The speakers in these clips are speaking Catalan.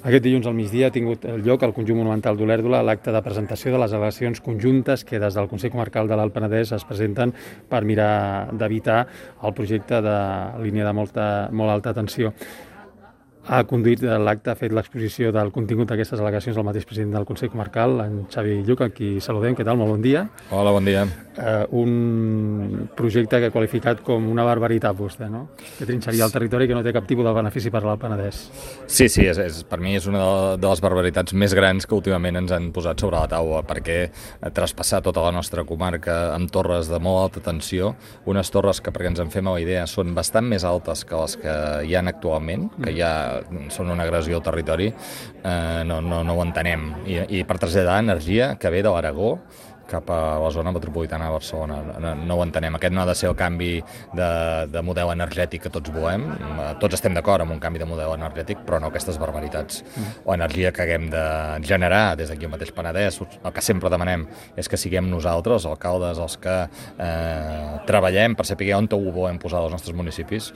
Aquest dilluns al migdia ha tingut lloc al Conjunt Monumental d'Olèrdola l'acte de presentació de les al·legacions conjuntes que des del Consell Comarcal de l'Alt Penedès es presenten per mirar d'evitar el projecte de línia de molt alta tensió. Ha conduït l'acte, ha fet l'exposició del contingut d'aquestes al·legacions el mateix president del Consell Comarcal, en Xavi Lluc, a qui saludem. Què tal? Molt bon dia. Hola, bon dia. Un projecte que ha qualificat com una barbaritat, vostè, no? Que trinxaria el territori, que no té cap tipus de benefici per l'Alt Penedès. Sí, per mi és una de les barbaritats més grans que últimament ens han posat sobre la taula, perquè traspassar tota la nostra comarca amb torres de molt alta tensió, unes torres que, perquè ens en fem a la idea, són bastant més altes que les que hi ha actualment, que ja són una agressió al territori, no ho entenem. I per traslladar energia que ve de l'Aragó cap a la zona metropolitana de Barcelona. No ho entenem. Aquest no ha de ser el canvi de model energètic que tots volem. Tots estem d'acord amb un canvi de model energètic, però no aquestes barbaritats. L'energia que haguem de generar des d'aquí al mateix Penedès, el que sempre demanem és que siguem nosaltres, els alcaldes, els que treballem per saber on ho volem posar als nostres municipis,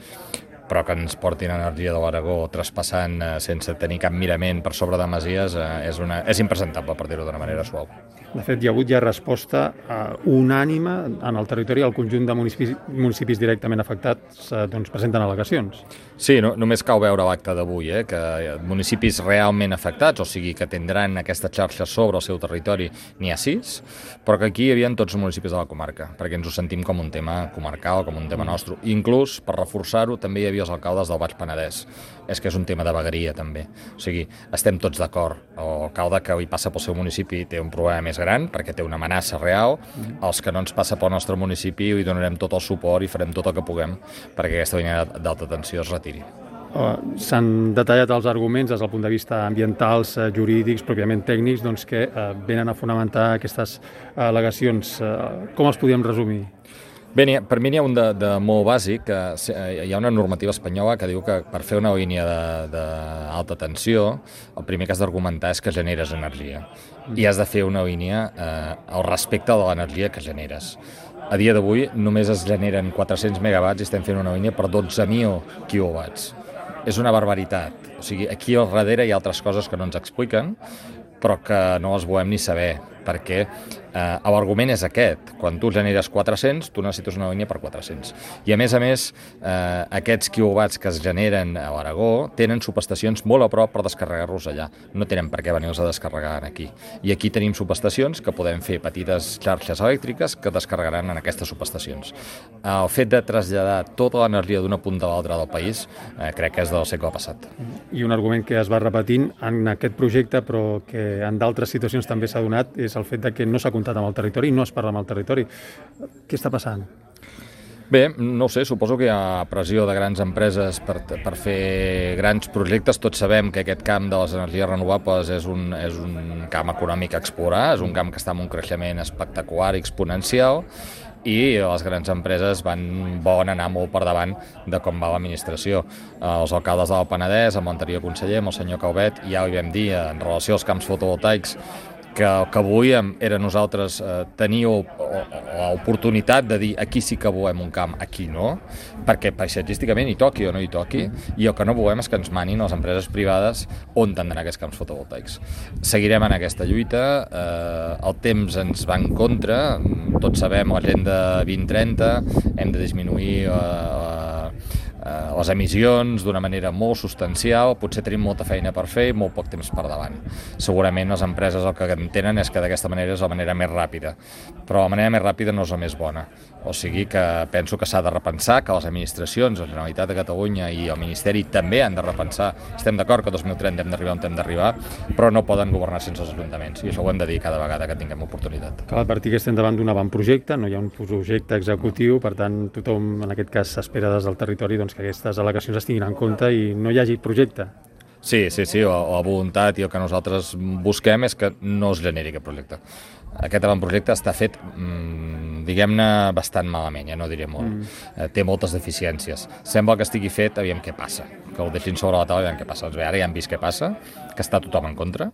però que ens portin energia de l'Aragó traspassant sense tenir cap mirament per sobre de masies és impresentable, per dir-ho d'una manera suau. De fet, hi ha hagut ja resposta unànime en el territori. El conjunt de municipis directament afectats presenten al·legacions. Sí, només cal veure l'acte d'avui, que municipis realment afectats, o sigui que tindran aquesta xarxa sobre el seu territori, n'hi ha 6, però que aquí hi havia tots els municipis de la comarca, perquè ens ho sentim com un tema comarcal, com un tema nostre. Inclús, per reforçar-ho, també hi havia els alcaldes del Baix Penedès. És que és un tema de vegueria, també. O sigui, estem tots d'acord. L'alcalde que avui passa pel seu municipi té un problema més gran, perquè té una amenaça real. Els que no ens passa pel nostre municipi hi donarem tot el suport i farem tot el que puguem perquè aquesta línia d'alta tensió es retiri. S'han detallat els arguments des del punt de vista ambientals, jurídics, pròpiament tècnics, que venen a fonamentar aquestes al·legacions. Com els podríem resumir? Bé, per mi n'hi ha un de molt bàsic. Hi ha una normativa espanyola que diu que per fer una línia d'alta tensió el primer que has d'argumentar és que generes energia i has de fer una línia al respecte de l'energia que generes. A dia d'avui només es generen 400 megawatts i estem fent una línia per 12.000 quilowatts. És una barbaritat. O sigui, aquí al darrere hi ha altres coses que no ens expliquen, però que no les volem ni saber, perquè l'argument és aquest. Quan tu generes 400, tu necessites una línia per 400. I a més, aquests quilowatts que es generen a l'Aragó tenen subestacions molt a prop per descarregar-los allà. No tenen per què venir-los a descarregar aquí. I aquí tenim subestacions que podem fer petites xarxes elèctriques que descarregaran en aquestes subestacions. El fet de traslladar tota l'energia d'una punta a l'altra del país crec que és del segle passat. I un argument que es va repetint en aquest projecte, però que en d'altres situacions també s'ha donat, és el fet de que no s'ha comptat amb el territori, no es parla amb el territori. Què està passant? Bé, no ho sé, suposo que hi ha pressió de grans empreses per fer grans projectes. Tots sabem que aquest camp de les energies renovables és un camp econòmic a explorar, és un camp que està en un creixement espectacular i exponencial, i les grans empreses volen anar molt per davant de com va l'administració. Els alcaldes del Penedès, amb l'anterior conseller, amb el senyor Calvet, ja ho vam dir en relació als camps fotovoltaics, que el que volíem era nosaltres tenir l'oportunitat de dir aquí sí que volem un camp, aquí no, perquè paisatgísticament hi toqui o no hi toqui, i el que no volem és que ens manin les empreses privades on han d'anar aquests camps fotovoltaics. Seguirem en aquesta lluita, el temps ens va en contra, tots sabem l'agenda 2030, hem de disminuir les emissions d'una manera molt substancial, potser tenim molta feina per fer i molt poc temps per davant. Segurament les empreses el que entenen és que d'aquesta manera és la manera més ràpida, però la manera més ràpida no és la més bona. O sigui que penso que s'ha de repensar, que les administracions, la Generalitat de Catalunya i el Ministeri també han de repensar. Estem d'acord que 2030 hem d'arribar on hem d'arribar, però no poden governar sense els ajuntaments, i això ho hem de dir cada vegada que tinguem oportunitat. Cal advertir que estem davant d'un avantprojecte, no hi ha un projecte executiu, per tant tothom en aquest cas s'espera des del territori que aquestes al·legacions es tinguin en compte i no hi hagi projecte. Sí, la voluntat i el que nosaltres busquem és que no es generi aquest projecte. Aquest avantprojecte està fet, diguem-ne, bastant malament, ja no diré molt. Té moltes deficiències. Sembla que estigui fet, aviam què passa, que ho deixin sobre la taula i aviam què passa. Doncs bé, ara ja hem vist què passa, que està tothom en contra,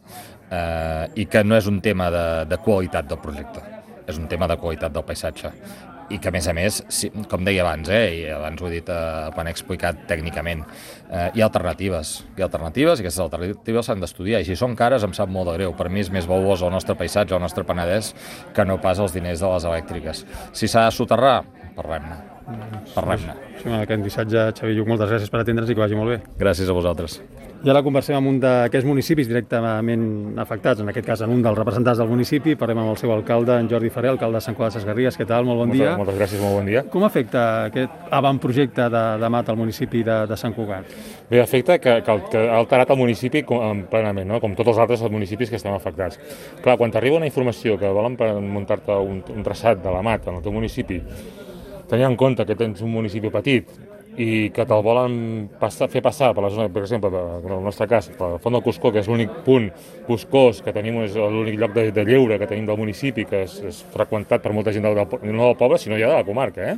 i que no és un tema de qualitat del projecte, és un tema de qualitat del paisatge. i que, a més, com deia abans, i abans ho he dit quan he explicat tècnicament, hi ha alternatives, i aquestes alternatives s'han d'estudiar, i si són cares em sap molt de greu. Per mi és més valuós el nostre paisatge, el nostre Penedès, que no pas els diners de les elèctriques. Si s'ha de soterrar, parlem-ne. Sí, aquest missatge, Xavier Lluc, moltes gràcies per atendre'ns i que vagi molt bé. Gràcies a vosaltres. I ara conversem amb un d'aquests municipis directament afectats, en aquest cas en un dels representants del municipi. Parlem amb el seu alcalde, en Jordi Ferrer, alcalde de Sant Cugat de Sesgarrigues. Què tal? Molt bon dia. Moltes gràcies, molt bon dia. Com afecta aquest avantprojecte de MAT al municipi de Sant Cugat? Bé, afecta que ha alterat el municipi plenament, no? Com tots els altres municipis que estem afectats. Clar, quan t'arriba una informació que volen muntar-te un traçat de la MAT en el teu municipi, tenint en compte que tens un municipi petit i que te'l volen fer passar per la zona, per exemple, en el nostre cas, per la Font del Cuscó, que és l'únic punt boscós que tenim, és l'únic lloc de lleure que tenim del municipi, que és freqüentat per molta gent no del poble, sinó ja de la comarca,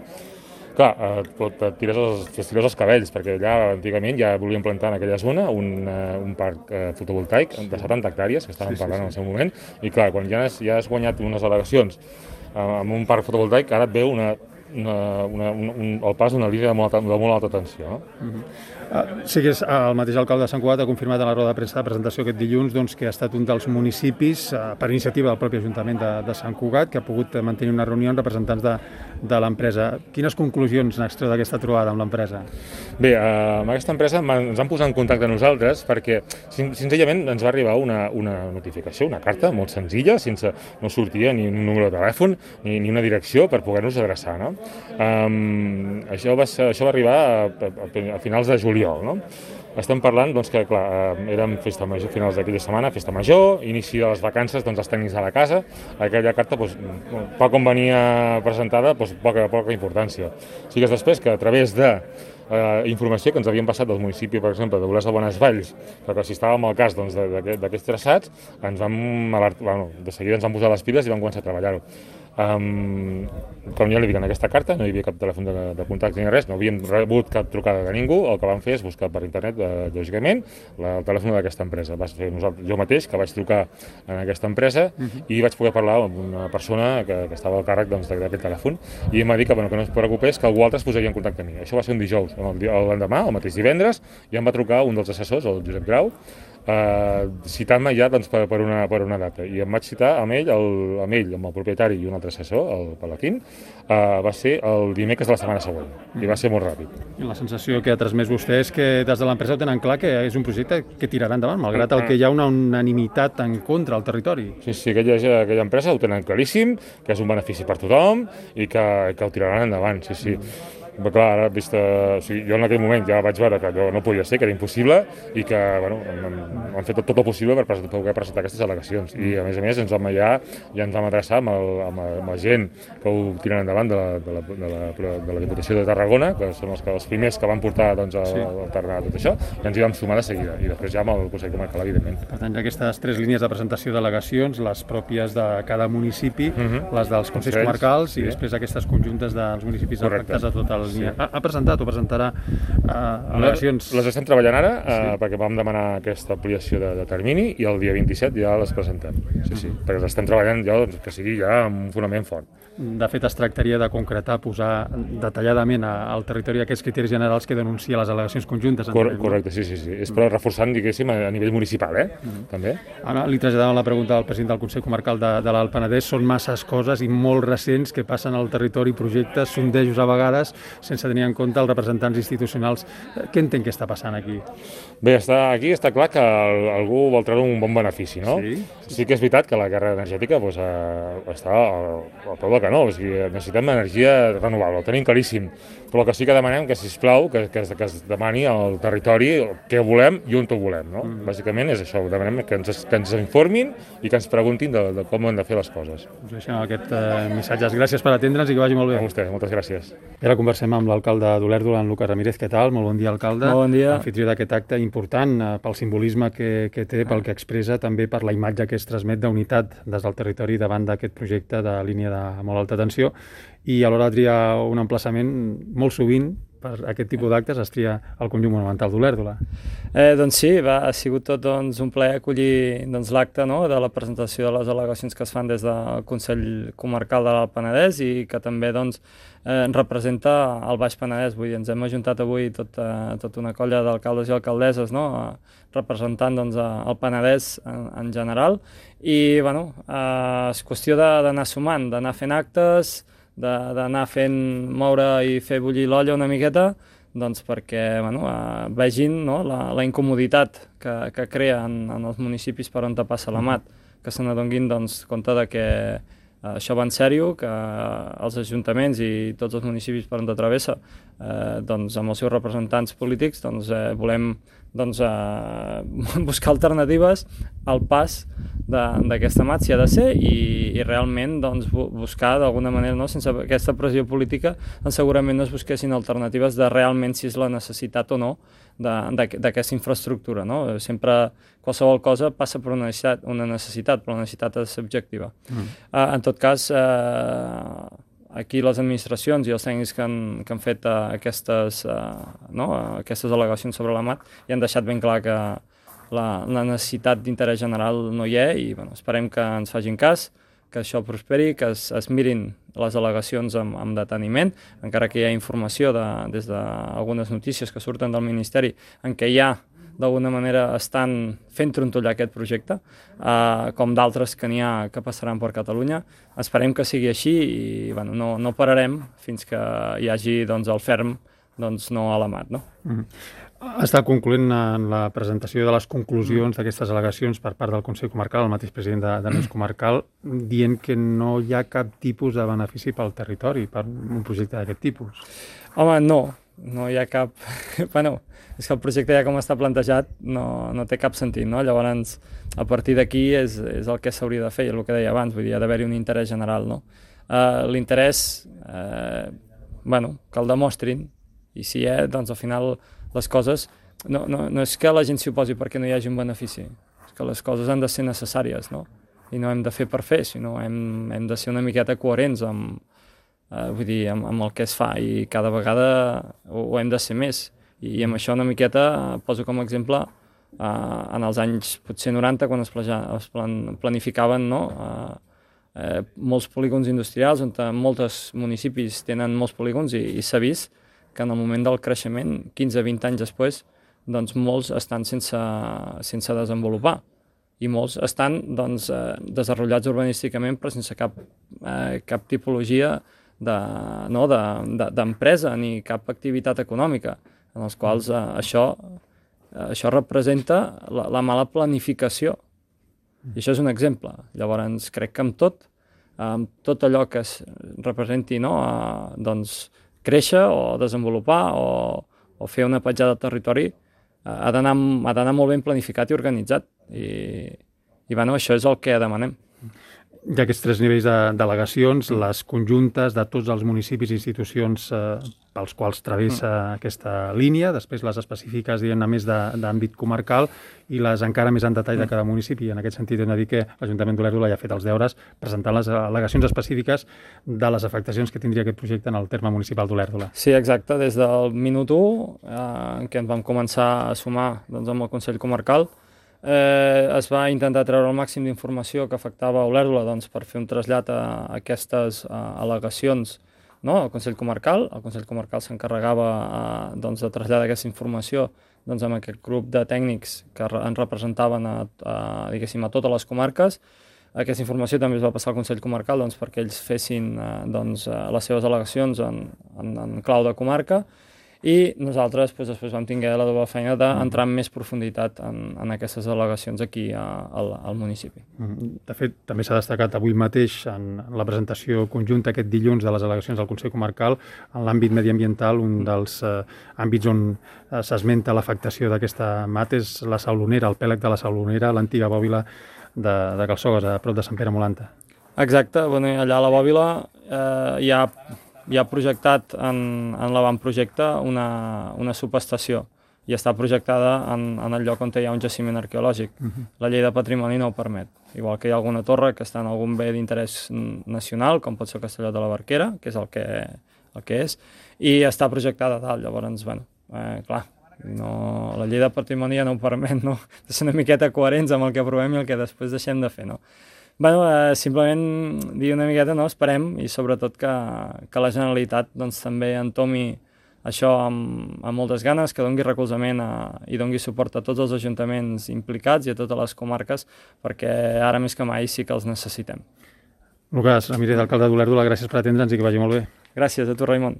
Clar, et tires els cabells, perquè allà antigament ja volíem plantar en aquella zona un parc fotovoltaic de 70 hectàrees, que estàvem parlant en el seu moment, i clar, quan ja has guanyat unes al·legacions amb un parc fotovoltaic, ara et ve el pas d'una línia de molt alta tensió. Sí que és el mateix alcalde de Sant Cugat ha confirmat en la roda de premsa de presentació aquest dilluns que ha estat un dels municipis, per iniciativa del propi Ajuntament de Sant Cugat, que ha pogut mantenir una reunió amb representants de l'empresa. Quines conclusions n'extreu d'aquesta trobada amb l'empresa? Bé, amb aquesta empresa ens han posat en contacte amb nosaltres perquè senzillament ens va arribar una notificació, una carta molt senzilla, sense no sortia ni un número de telèfon ni una direcció per poder-nos adreçar, no? Això va arribar a finals de juliol, no? Estem parlant que, clar, érem festa major, finals d'aquella setmana, festa major, inici de les vacances, els tècnics a la casa. Aquella carta, tal com venia presentada, poca importància. O sigui que és després que a través de informació que ens havien passat del municipi, per exemple, de Olesa de Bonesvalls, perquè si estàvem al cas d'aquests traçats, de seguida ens han posat les piles i vam començar a treballar-ho. Com ja li dic, en aquesta carta no hi havia cap telèfon de contacte ni res, no havíem rebut cap trucada de ningú. El que vam fer és buscar per internet, lògicament, el telèfon d'aquesta empresa. Va ser jo mateix que vaig trucar a aquesta empresa i vaig poder parlar amb una persona que estava al càrrec d'aquest telèfon, i em va dir que no es preocupés, que algú altre es posaria en contacte amb mi. Això va ser un dijous. L'endemà, el mateix divendres, ja em va trucar un dels assessors, el Josep Grau, citant-me ja per una data, i em vaig citar amb ell, amb el propietari i un altre assessor, el Palaquín. Va ser el dimecres de la setmana següent i va ser molt ràpid. I la sensació que ha transmès vostè és que des de l'empresa ho tenen clar que és un projecte que tirarà endavant, malgrat el que hi ha una unanimitat en contra al territori. Sí, aquella empresa ho tenen claríssim, que és un benefici per tothom i que ho tiraran endavant, sí. Però clar, ara, jo en aquell moment ja vaig veure que allò no podia ser, que era impossible, i que han fet tot el possible per poder presentar aquestes al·legacions. I a més ens vam adreçar amb la gent que ho tiren endavant de la Diputació de Tarragona, que són els primers que van portar a alternar tot això, i ens hi vam sumar de seguida, i després ja amb el Consell Comarcal, evidentment. Per tant, hi ha aquestes 3 línies de presentació d'al·legacions, les pròpies de cada municipi, les dels Consells Comarcals i després aquestes conjuntes dels municipis afectats a tota la línia. Ha presentat o presentarà al·legacions? Les estem treballant ara, perquè vam demanar aquesta ampliació de termini, i el dia 27 ja les presentem. Sí, perquè les estem treballant ja, que sigui ja amb un fonament fort. De fet, es tractaria de concretar, posar detalladament al territori aquests criteris generals que denuncia les al·legacions conjuntes. Correcte, sí. És per reforçant, diguéssim, a nivell municipal, també. Ara li traslladàvem la pregunta al president del Consell Comarcal de l'Alt Penedès. Són masses coses i molt recents que passen al territori, projectes, sondejos a vegades, sense tenir en compte els representants institucionals. Què entén que està passant aquí? Bé, aquí està clar que algú vol treure un bon benefici, no? Sí que és veritat que la guerra energètica està al peu del canó, necessitem energia renovable, ho tenim claríssim, però el que sí que demanem que, sisplau, que es demani al territori què volem i on ho volem, no? Bàsicament és això, demanem que ens informin i que ens preguntin de com hem de fer les coses. Us deixem aquest missatges. Gràcies per atendre'ns i que vagi molt bé. A vostè, moltes gràcies. I ara conversem amb l'alcalde d'Olèrdola, en Lucas Ramírez. Què tal? Molt bon dia, alcalde. Molt bon dia. Anfitrió d'aquest acte important pel simbolisme que té, pel que expressa, també per la imatge que es transmet d'unitat des del territori davant d'aquest projecte de línia de molt alta tensió, i alhora triar un emplaçament molt sovint per aquest tipus d'actes es tria el conjunt monumental d'Olèrdola. Doncs sí, ha sigut tot un plaer acollir l'acte de la presentació de les al·legacions que es fan des del Consell Comarcal de l'Alt Penedès i que també representa el Baix Penedès. Vull dir, ens hem ajuntat avui tota una colla d'alcaldes i alcaldesses representant el Penedès en general i és qüestió d'anar sumant, d'anar fent actes, d'anar moure i fer bullir l'olla una miqueta perquè vegin la incomoditat que crea en els municipis per on passa la mat, que se n'adonguin compte que això va en sèrio, que els ajuntaments i tots els municipis per on travessa amb els seus representants polítics volem buscar alternatives al pas d'aquesta mat, si ha de ser, i realment buscar d'alguna manera, sense aquesta pressió política, segurament no es busquessin alternatives de realment si és la necessitat o no d'aquesta infraestructura. Sempre qualsevol cosa passa per una necessitat, però la necessitat ha de ser objectiva. En tot cas, aquí les administracions i els tècnics que han fet aquestes al·legacions sobre la mat ja han deixat ben clar que la necessitat d'interès general no hi és i esperem que ens facin cas, que això prosperi, que es mirin les al·legacions amb deteniment, encara que hi ha informació des d'algunes notícies que surten del Ministeri en què ja d'alguna manera estan fent trontollar aquest projecte, com d'altres que n'hi ha que passaran per Catalunya. Esperem que sigui així i no pararem fins que hi hagi el ferm no a la mat. Està concloent en la presentació de les conclusions d'aquestes al·legacions per part del Consell Comarcal, el mateix president de l'ES Comarcal, dient que no hi ha cap tipus de benefici pel territori per un projecte d'aquest tipus. Home, no hi ha cap... és que el projecte ja com està plantejat no té cap sentit, Llavors, a partir d'aquí és el que s'hauria de fer, és el que deia abans, vull dir, ha d'haver-hi un interès general, L'interès, que el demostrin, i si al final les coses... No és que la gent s'hi oposi perquè no hi hagi un benefici, és que les coses han de ser necessàries, I no hem de fer per fer, sinó hem de ser una miqueta coherents amb el que es fa i cada vegada ho hem de ser més. I amb això una miqueta poso com a exemple en els anys potser 90 quan es planificaven molts polígons industrials on molts municipis tenen molts polígons i s'ha vist que en el moment del creixement, 15-20 anys després, molts estan sense desenvolupar i molts estan desenvolupats urbanísticament però sense cap tipologia d'empresa ni cap activitat econòmica, en els quals això representa la mala planificació. I això és un exemple. Llavors, crec que amb tot allò que es representi créixer o desenvolupar o fer una petjada de territori ha d'anar molt ben planificat i organitzat. I això és el que demanem. Hi ha aquests 3 nivells d'al·legacions, les conjuntes de tots els municipis i institucions pels quals travessa aquesta línia, després les específiques, a més d'àmbit comarcal, i les encara més en detall de cada municipi. En aquest sentit, hem de dir que l'Ajuntament d'Olèrdola ja ha fet els deures presentant les al·legacions específiques de les afectacions que tindria aquest projecte en el terme municipal d'Olèrdola. Sí, exacte. Des del minut 1, en què ens vam començar a sumar amb el Consell Comarcal, es va intentar treure el màxim d'informació que afectava Olèrdola per fer un trasllat a aquestes al·legacions al Consell Comarcal. El Consell Comarcal s'encarregava de traslladar aquesta informació amb aquest grup de tècnics que ens representaven a totes les comarques. Aquesta informació també es va passar al Consell Comarcal perquè ells fessin les seves al·legacions en clau de comarca. I nosaltres després vam tenir la doble feina d'entrar en més profunditat en aquestes al·legacions aquí al municipi. De fet, també s'ha destacat avui mateix en la presentació conjunta aquest dilluns de les al·legacions del Consell Comarcal en l'àmbit mediambiental. Un dels àmbits on s'esmenta l'afectació d'aquesta mat és la Saulonera, el pèlag de la Saulonera, l'antiga bòbila de Calçogues, a prop de Sant Pere Molanta. Exacte, allà a la bòbila hi ha projectat en l'avantprojecte una subestació i està projectada en el lloc on hi ha un jaciment arqueològic. La llei de patrimoni no ho permet. Igual que hi ha alguna torre que està en algun bé d'interès nacional, com pot ser el Castelló de la Barquera, que és el el que és, i està projectada dalt. Llavors, clar, la llei de patrimoni ja no ho permet, no? De ser una miqueta coherents amb el que aprovem i el que després deixem de fer, no? Simplement dir una miqueta, no? Esperem, i sobretot que la Generalitat doncs, també entomi això amb moltes ganes, que dongui recolzament i dongui suport a tots els ajuntaments implicats i a totes les comarques, perquè ara més que mai sí que els necessitem. Lucas Ramírez, alcalde d'Olèrdola, gràcies per atendre'ns i que vagi molt bé. Gràcies a tu, Raimon.